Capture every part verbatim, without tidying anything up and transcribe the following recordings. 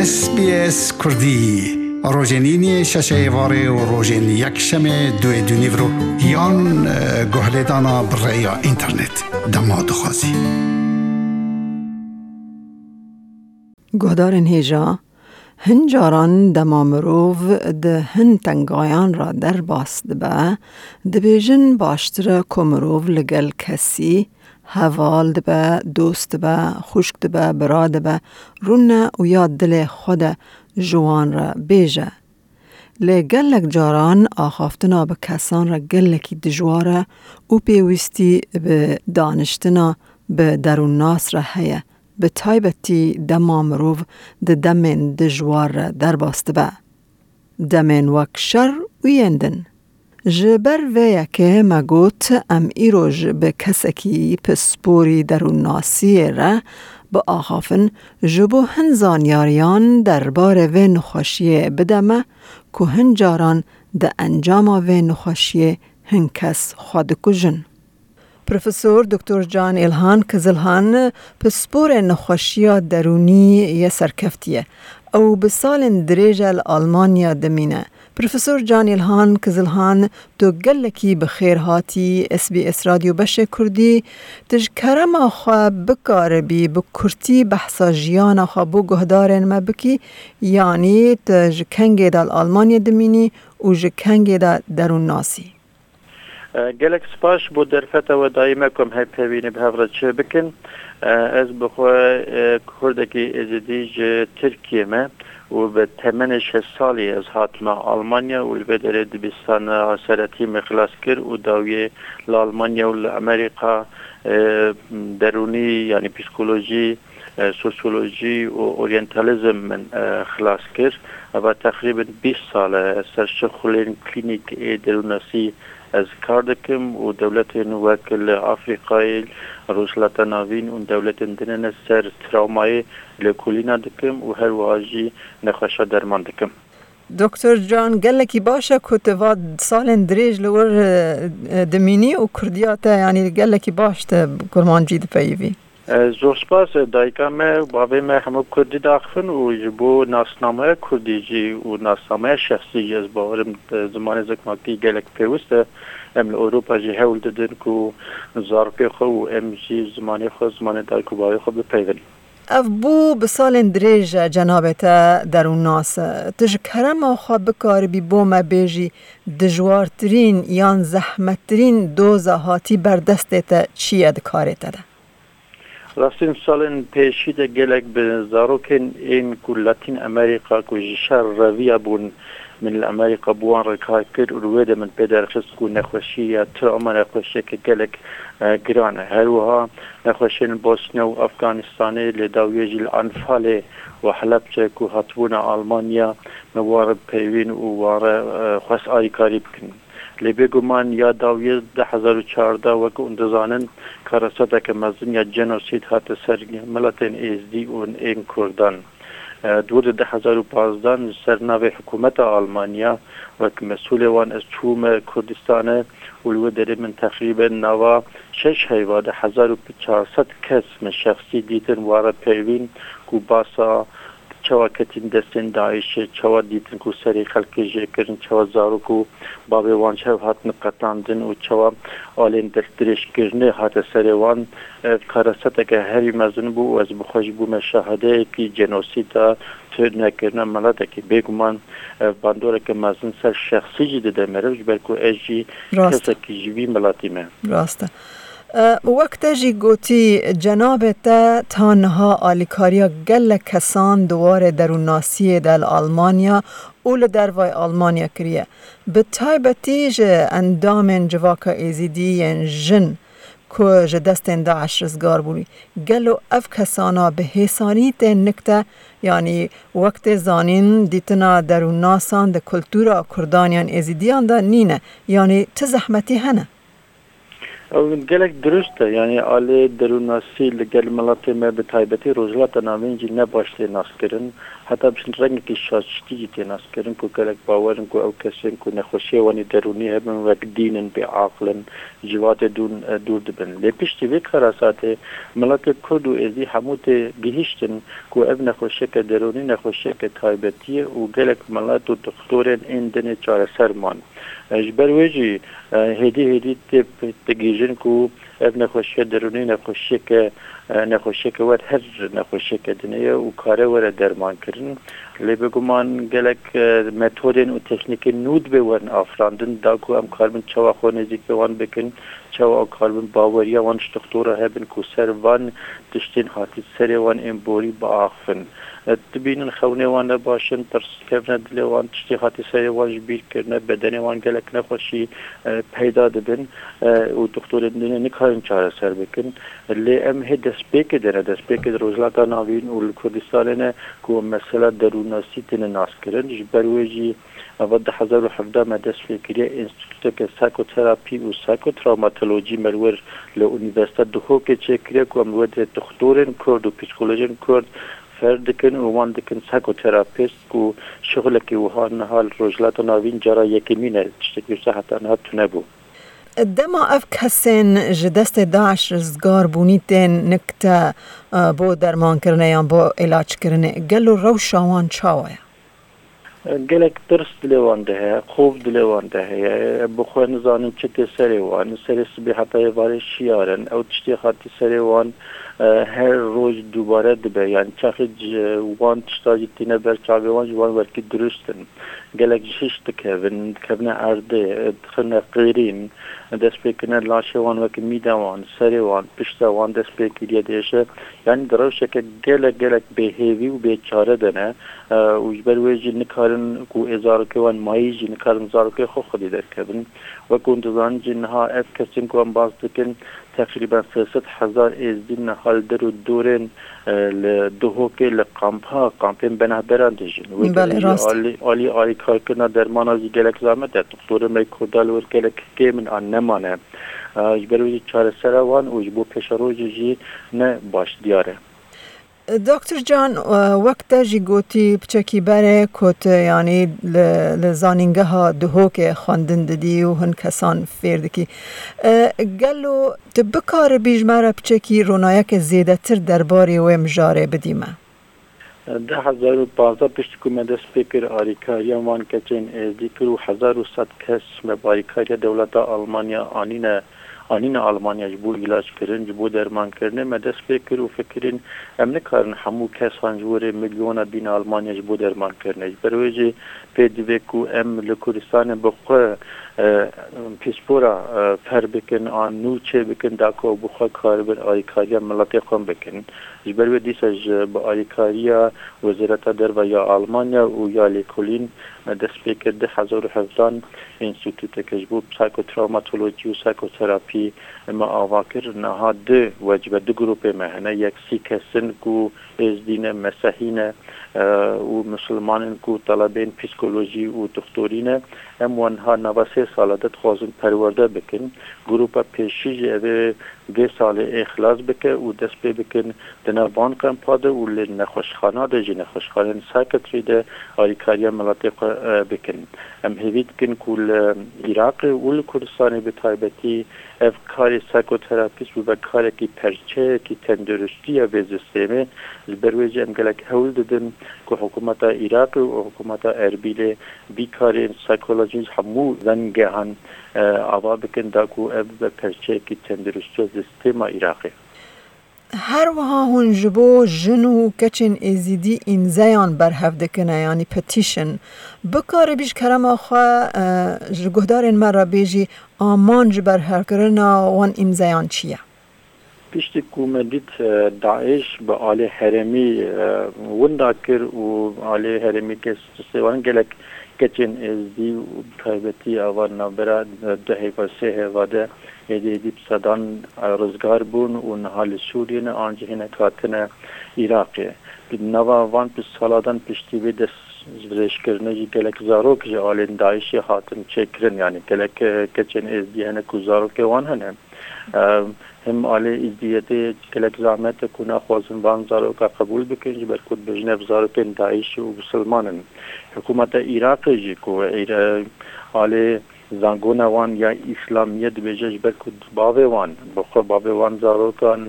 S B S Kurdî, rojên îniyê şeşê êvarê û rojên yekşemê duê dûnîvro yan, e, guhlêdana bi rêya înternet. Dema dixwazî. Guhdarên hêja, hin caran dema mirov di hin tengayan re derbas dibe, dibêjin baştir e ku mirov li gel kesî heval dibe, dost dibe, xwişk dibe, bira dibe, rûne û ya dilê xwe de ji wan re bêje. Lê gelek caran axaftina bi kesan re gelekî dijwar e û pêwîstî bi daniştina bi derûnnas re heye, bi taybetî dema mirov di demên dijwar re derbas dibe. Demên wek şer û yên din. Ji ber vê yekê me got, em îroj bi kesekî pisporî derûnnasiyê re biaxafin, ji bo hin zanyariyan derbarê vê nexweşiyê bide me, ku hin caran di encama vê nexweşiyê hin kes xwe dikujin. Profesor Doktor Can Îlhan Kizilhan, pisporê nexweşiya derûnî yê serkeftî ye. Ew bi salên dirêj e li Almanya dimîne. Profesor Can Îlhan Kizilhan, tu gelekî bi xêr hatî S B S Radyo Beşê Kurdî. Tu ji kerema xwe bikaribî bi kurtî behsa jiyana xwe bo guhdarên me bikî, yanî tu ji kengê de li Almanya dimînî û ji kengê de derûnnasî? E, gelek spas bo derfeta we dayî me ku em hevpeyvînê bi hev re çêbikin. E, ez bi xwe, e, Kurdekî Êzidî ji Tirkiyê me û bi temenê şeş salî ez hatime Almanya û li vê derê dibistana seretî min xilas kir û dawiyê li Almanya û li Amerîka, e, derûnî, yanî psîkolojî, e, sosyolojî û oryantalizm min, e, xilas kir. Eva teqrîben bîst sal e ez ser şixulên klînîk ê derûnnasî ez kar dikim û dewletên wek li Afrîkayê, Rojhilata Navîn û dewletên din ne ser trawmayê lêkolîna dikim û her wiha jî nexweşa derman dikim. Doktor Can, gelekî baş e ku tu va salên dirêj li wir, e, e, dimînî û kurdiya te, yanî gelekî baş te kurmancî dipeyivî. E, zor spas, e, dayika me û bavê me hemû kurdî diaxivin û ji bo nasnameya kurdî jî û nasnameya şexsî jî ez bawerim, e, zimanê zikmakî gelek pêwist e. Em li Ewropa jî hewl didin ku zarokê xwe û em jî zimanê xwe, zimanê dayik û bavê xwe bipeyvin. Ev bû bi salên dirêj e cenabê te derûnnas e. Tu ji kerema xwe bikaribî bo me bêjî dijwartirîn yan zehmettirîn doza hatî ber destê te çi ye di karê te de? Rastîn salên pêşî de gelek bi zarokên ên ku Latîn Amerîka ku ji şer reviya bûn, min li Amerîka bi wan re kar kir û li wê de min pê derxist ku nexweşî ya trawma nexweşiyeke gelek, e, giran e. Her wiha nexweşên Bosnya û Afganistanê, lê dawiyê jî li Anfalê û Helebçe ku hatibûne Almanya, me wan re peyvîn û wan re, e, xwest alîkarî bikin. Lê bêguman ya dawiyê du hezar û çardeh, wek hûn dizanin, karaseteke mezin ya cenosîd hate ser miletên Êzdî û ên Kurdan. E, di wir de du hezar û pazdeh ji ser navê hikûmeta Almanya, wek mesûlê wan ez çûme Kurdistanê û li wê derê min teqrîben nava şeş heyva, du hezar û çar sed kes min şexsî dîtin, wan re peyvîn ku basa çawa ketîn destên DAIŞê, çawa dîtin ku serê xelkê jê kirin, çawa zarok û bavê wan çawa hatin qetandin û çawa alên destdirêjkirinê hate serê wan. Ev karaseteke herî mezin bû û ez bi xwe jî bûme şahideyekî cenosîda tu nekirina miletekî. Bêguman ev bandoreke mezin ser şexsî jî dide meriv, ji ber ku ez jî Rast e. kesekî ji vî miletî me. Rast e. E, wek te jî gotî, cenabê te ta niha alîkariya gelek kesan di warê derûnnasiyê de li Almanya û li dervayê Almanya kiriye. Bi taybetî ji endamên civaka Êzîdî yên jin ku ji destên DAIŞ rizgar bûnî. Gelo ev kesana bi hêsanî tên nik te, yanî wek tê zanîn, dîtina derûnnasan di kultura Kurdan yan Êzîdiyan de nîne, yanî ti zehmetî hene? Ew gelek dirust e, yanî alê derûnnasî li gel miletê me, bi taybetî Rojhilata Navîn jî ne baş tê naskirin. Heta bi çend rengekî şaştî jî tê naskirin ku gelek bawer in ku ew kesên ku nexweşiyê wan ê derûnî hebin wek dîn in, bêaqil in, ji civatê dûn, e, dûr dibin. Lê piştî vê karasatê miletê Kurd û Êzî hemû tê gihîştin ku ev nexweşiyeke derûnî nexweşiyeke taybetî ye û gelek milet û dixtorên ên dinê çareser man. E, ji ber wê jî, e, hêdî hêdî tê, tê gihîjin ku ev nexweşiya derûnî nexweşiyeke, e, nexweşiyeke wer her nexweşiyeke dinê ye û kare were dermankirin. Lê biguman gelek, e, metodên û teknîkên nû dibe werin afirandin, da ku em karibin çawa xwe nêzîkê wan bikin, çawa em karibin baweriya wan ji dixtora hebin ku ser van tiştên hatî serê wan ên borî biaxivin. E, dibînin xewnê wan ne baş in, tirs dikevine dilê wan, tiştê hatî serê wan ji bîr kirine, bedenê wan gelek nexweşî, e, peyda dibin, e, û dixtorên dinê nikarin çareser bikin. Lê em hê destpêkê de ne, destpêkê di Rojhilata Navîn û li Kurdistanê ne ku mesela derûnnasî têne naskirin. Ji ber wê jî eva du hezar û hevdeh me dest pê kiriye, Înstîtûteke Psîkoterapî û Psîkotrawmatolojî me li wir li Unîversîteya Duhokê çêkiriye ku em li wir dixtorên Kurd û psîkolojên Kurd fêr dikin û wan dikin psîkoterapîst ku şixulekî wiha niha li Rojhilata Navîn cara yekemîn e, tiştekî wisa heta niha tune bû. Dema ev kesên ji destê DAIŞ rizgar bûnî tên nikte, e, bo dermankirinê yan bo îlackirinê, gelo rewşa wan çawa ye? Gelek tirs dilê wan de heye, xof dilê wan de heye, bi xwe nizanin çi tê serê wan, serê sibê heta êvarê şiyar in, ew tiştê hatî serê wan, e, her roj dubare dibe, yanî çaxê ji wan tişta jî tîne ber çavê wan, ji wan werkî dirust in. Gelek ji hiş dikevin, dikevine erdê, dixine qêrîn, dest pê kirine laşê wan wek mîda wan, serê wan, pişta wan dest pê kiriye diêşe. Yanî di rewşeke gelek, gelek bêhêvî û bêçare de ne, e, û ji ber wê jî nikarin ku ê zarokê wan mayî jî nikarin zarokê xwe xwedî derkevin. Wek hûn dizanin jî niha ev kesên ku em bas dikin, teqrîben sê sed hezar êzdî niha li der û dorên, e, li Duhokê li kampa, kampên benahberan dijîn. Wê Belê, derê jî rast. alî, alî alîkarkirina dermana jî gelek zehmet e. Doktorê me Kurda li wir gelek kêm in an nemane. E, ji ber wê jî çaresera wan û ji bo pêşerojê jî ne baş diyar e. Doktor Can, e, wek te jî gotî, piçekî berê ku tu, yanî li, li zanîngeha Duhokê xwendin didî û hin kesan fêr dikî. E, gelo tu bikaribî ji me re piçekî ronayeke zêdetir derbarê wê mijarê bidî me? Di hezar û pazdeh piştî ku me dest pê kir, alîkariya wan keçên êzdî kir û hezar û sed kes me bi alîkariya dewleta Almanya anîne, anîne Almanya ji bo îlac kirin, ji bo derman kirinê. Me dest pê kir û fikirîn, em nikarin hemû kesan ji wirê milyona bîne Almanya ji bo derman kirinê. Ji ber wê jî pê divê ku em li Kurdistanê bi xwe, e, pîspora, e, fer bikin, an nû çê bikin, da ku ew bi xwe karibin alîkariya miletê xwe bikin. Ji ber wê dîsa ji bi alîkariya Wezareta Derve ya Almanya û ya lêkolîn me dest pê kir, du hezar û hevdan înstîtûteke ji bo psîkotrawmatolojî û psîkoterapî me ava kir. Niha du wecibe, du grûpê me hene. Yek sî kes in ku êzdî ne, mesehî ne, e, û misilman in ku telebên psîkolojî û dixtorî ne. Em wan niha nava sê sala de dixwazin perwerde bikin. Grûpa pêşî jî ev ê vê salê ê xilas bike û dest pê bikin di nav van kampa de û li nexweşxana de jî, nexweşxaneyên psîkiyatrî de alîkariya miletê xwe, e, bikin. Em hêvî dikin ku li Iraqê û li Kurdistanê bi taybetî ev karê psîkoterapîst bibe karekî, perçeyekî tenduristiya vê sistêmê. Ji ber wê jî em gelek hewl didin ku hikûmeta Iraqê û hikûmeta Erbîlê vî karên psîkolojî ji hemû vengehan, e, ava bikin, da ku ev bibe perçeyekî tenduristiya sistêma Iraqê. Her wiha hûn ji bo jin û keçên êzîdî îmzeyan berhev dikine, yanî petition. Bikaribî ji kerema xwe, e, ji guhdarên me re bêjî, amanc ji berhevkirina wan îmzeyan çi ye? Piştî ku me dît, e, DAIŞ bi alê herêmî, e, winda kir û alê herêmî kes ji sêwanin gelek keçên êzdî û bi taybetî ava navbera, e, du heyva, sê heyva de êdî êdî bi sedan, e, rizgar bûn û niha li Sûriyê ne, an jî hinek hatine Iraqê. Di nava van pişt saladan piştî vê destdirêjkirinê jî gelek zarok ji alên DAIŞê hatin çêkirin, yanî gelek, e, keçên êzdî hene ku zarokê wan hene. Em, Him alê Êzdiyetê gelek zehmet e ku naxwazin van zaroka qebûl bikin, ji ber ku dibêjin ev zarokên DAIŞ û bisilman in. Hikûmeta Iraqê jî ku îre-, alê zangona wan ya Îslamiyet dibêje, ji ber ku bavê wan, bi xwe bavê wan zarokan,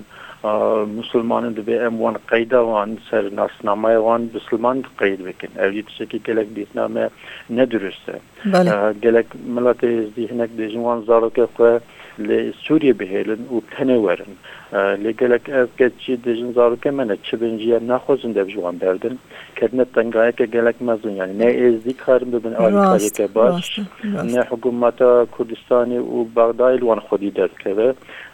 a, musulman in, divê em wan qeyda wan, ser nasnameya wan bisilman qeyd bikin. Ev jî tiştekî gelek dîtina me ne dirust e. Belê. E, gelek miletê Êzdî hinek dibêjin wan zarokê xwe li Sûriyê bihêlin û tenê werin. E, lê gelek ev keç jî dibêjin zarokê me ne çi bin jî, em naxwazin dev ji wan berdin. Ketine tengayeke gelek mezin, yanî ne Êzdî karin bibin Rast, alîkariyeke baş, rast, rast. ne hikûmeta Kurdistanê û Bexdayê li wan xwedî derdikeve.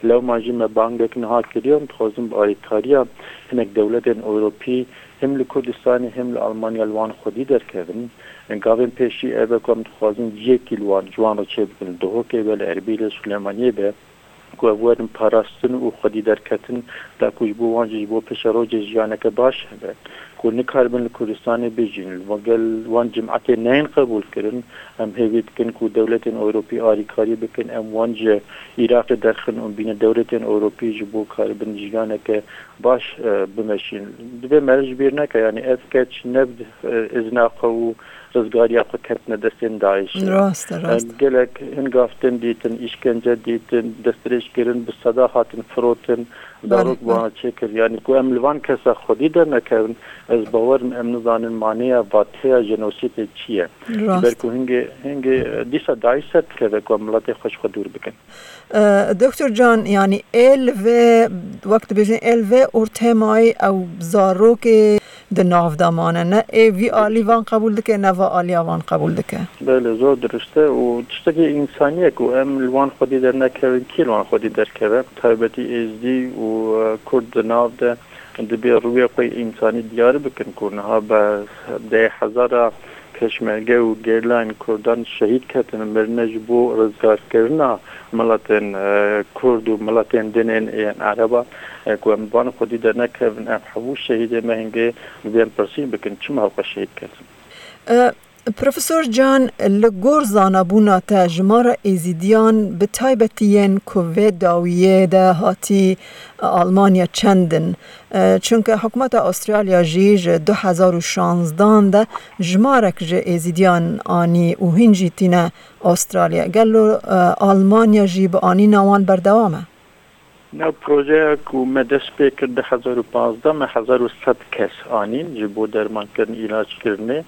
Lewma jî me bangek niha kiriye û dixwazin bi alîkariya hinek dewletên Ewropî, him li Kurdistanê him li Almanya li wan xwedî derkevin. Gavên pêşî ev e ku em dixwazin yekî li wan, ji wan re çêbikin, li Duhokê be, li Erbîlê, Silêmaniyê be, ku ev werin parastin û xwedî derketin, da ku ji bo wan jî, ji bo pêşerojê jiyaneke baş hebe, ku nikaribin li Kurdistanê bijîn, li gel wan cimetê neyên qebûl kirin. Em hêvî dikin ku dewletên Ewropî alîkarî bikin, em wan ji Iraqê derxin û bîne dewletên Ewropî ji bo karibin jiyaneke baş, e, bimeşîn. Divê meriv ji bîr neke, yanî ev keç ne bi, e, izna xwe û rizgariya xwe ketine destên DAIŞê. Rast e, rast e. Em gelek hin gav tên dîtin, îşkence dîtin, destdirêj kirin, bi seda hatin firotin, Belê, zarok belê. wana çêkir. Yanî ku em li van kesa xwedî dernekevin, ez bawer im em nizanin maneya vateya jenosîdê çi ye. Rast. Ji ber ku hingê, hingê, e, dîsa DAIŞ ser dikeve ku em miletê xwe ji xwe dûr bikin. E, Doktor Can, yanî ê li vê, wek dibêjin, ê li vê ortemay ew zarokê di nav de mane. Ne ê vî alî van qebûl dike, ne va aliya van qebûl dike. Belê, zor dirust e û tiştekî însanî ye ku em li wan xwedî dernekevin, kî li wan xwedî derkeve? Taybetî Êzdî û, e, Kurd di nav de dibê rûyê xwe însanî diyar bikin ku niha be deh hezara Pêşmerge û gerîlayên Kurdan şehîd ketin, mirine ji bo rizgarkirina miletên, e, Kurd û miletên din ên, ên Ereba, e, ku em van xwedî dernekevin, ev hemû şehîdê me hingê dibên pirsîn bikin, çima ew xwe şehîd ketin? E, Profesor Can, li gor zanabûna te, jimara Êzîdiyan, bi taybetî yên ku vê dawiyê de hatî Almanya çend in? E, çunke hikûmeta Astralya jî ji du hezar û şanzdan de jimarek ji Êzîdiyan anî û hîn jî tîne Astralya. Gelo, e, Almanya jî bi anîna wan berdewam e? Nav projeya ku me dest pê kir du hezar û panzdeh, me hezar û sed kes anîn ji bo dermankirin, îlackirinê.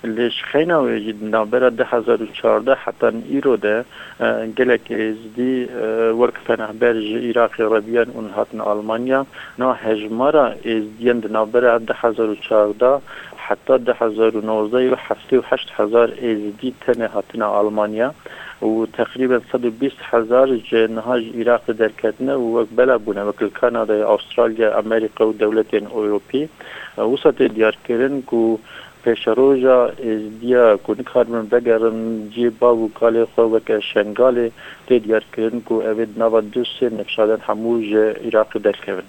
Lê ji xeyna wê jî di navbera du hezar û çardeh hetan îro de, e, gelek Êzdî, e, wek penehber ji Iraqê reviyan û hatin Almanya. Niha hejmara Êzdiyên di navbera du hezar û çardeh heta du hezar û nozdeh û heftê û heşt hezar Êzdî tenê hatine Almanya û teqrîben sed û bîst hezar ji niha ji Iraqê derketine û wek bela bûne, wek li Kanadayê, Astralya, Amerîka û dewletên Ewropî. Wisa tê diyarkirin ku pêşeroja Êzdiya ku nikaribin vegerin cihê bav û kalê xwe weke Şengalê, tê diyarkirin ku ev ê di nava du sê nifşadan hemû ji Iraqê derkevin.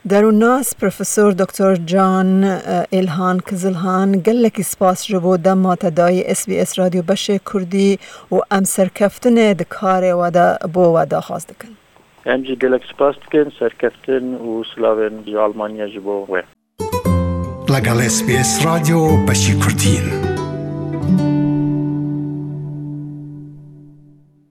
Derûnnas Profesor Doktor Can, e, Êlhan Kizilhan, gelekî spas ji bo dema te dayî S B S Radyo Beşê Kurdî û em serkeftinê di karê we de bo we daxwaz dikin. Em jî gelek spas dikin, serkeftin û silavên ji Almanya ji bo we. لەگەڵ S B S رادیۆ بەشی کوردین.